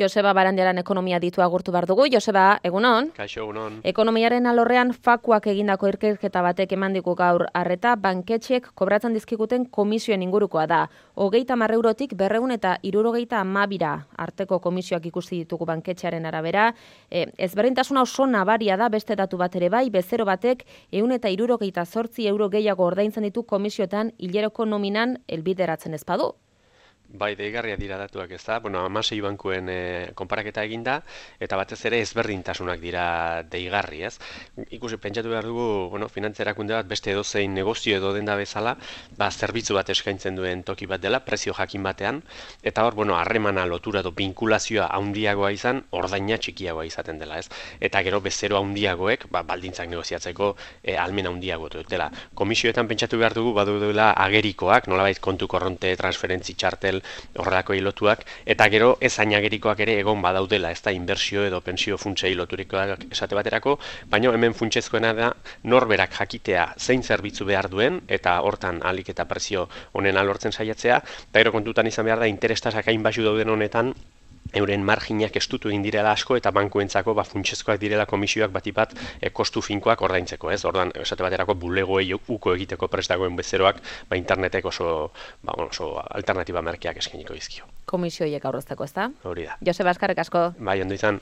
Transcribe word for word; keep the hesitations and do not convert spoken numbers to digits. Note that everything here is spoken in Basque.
Joseba Barandiaran ekonomia ditu agurtu behar dugu. Joseba, egunon? Kaixo, egunon. Ekonomiaren alorrean fakuak egindako ikerketa batek emandiku gaur arreta banketxek kobratzen dizkiguten komisioen ingurukoa da. Hogeita hamar eurotik berrehun eta hirurogeita hamabira arteko komisioak ikusi ditugu banketxearen arabera. E, ezberdintasuna oso nabaria da beste datu bat ere bai, bezero batek ehun eta hirurogeita zortzi euro gehiago ordaintzen ditu komisioetan hileroko nominan helbideratzen ez badu. Bai, deigarria dira datuak, ez da? Bueno, hamasei bankuen e, konparaketa eginda, eta batez ere ezberdintasunak dira deigarri, ez? Ikusi, pentsatu behar dugu, bueno, finantzerakunde bat beste edozein negozio edo denda bezala, ba, zerbitzu bat eskaintzen duen toki bat dela, prezio jakin batean, eta hor, bueno, harremana lotura edo binkulazioa handiagoa izan, ordaina txikiagoa izaten dela, ez? Eta gero bezero handiagoek, ba, baldintzak negoziatzeko e, almen handiago dutela. Komisioetan pentsatu behar dugu, badu dela agerikoak, nolabait kontu korronte, transferentzi txartel, horrelako hilotuak, eta gero ez ainagerikoak ere egon badaudela, ez da inbertsio edo pentsio funtsei loturikoak esate baterako, baina hemen funtsezkoena da norberak jakitea zein zerbitzu behar duen, eta hortan ahalik eta prezio honen alortzen saiatzea, eta gero kontutan izan behar da interestasak hain baxu dauden honetan, euren marginak estutu egin direla asko eta bankuentzako ba, funtsezkoak direla komisioak batipat e, kostu finkoak ordaintzeko, ez? Ordan, esate baterako bulegoei uko egiteko prest dagoen bezeroak, ba, internetek oso, ba, oso alternatiba merkeak eskainiko dizkio. Komisioiek aurrezteko, ez da? Hori da. Joseba, eskerrik asko. Bai, ondo izan.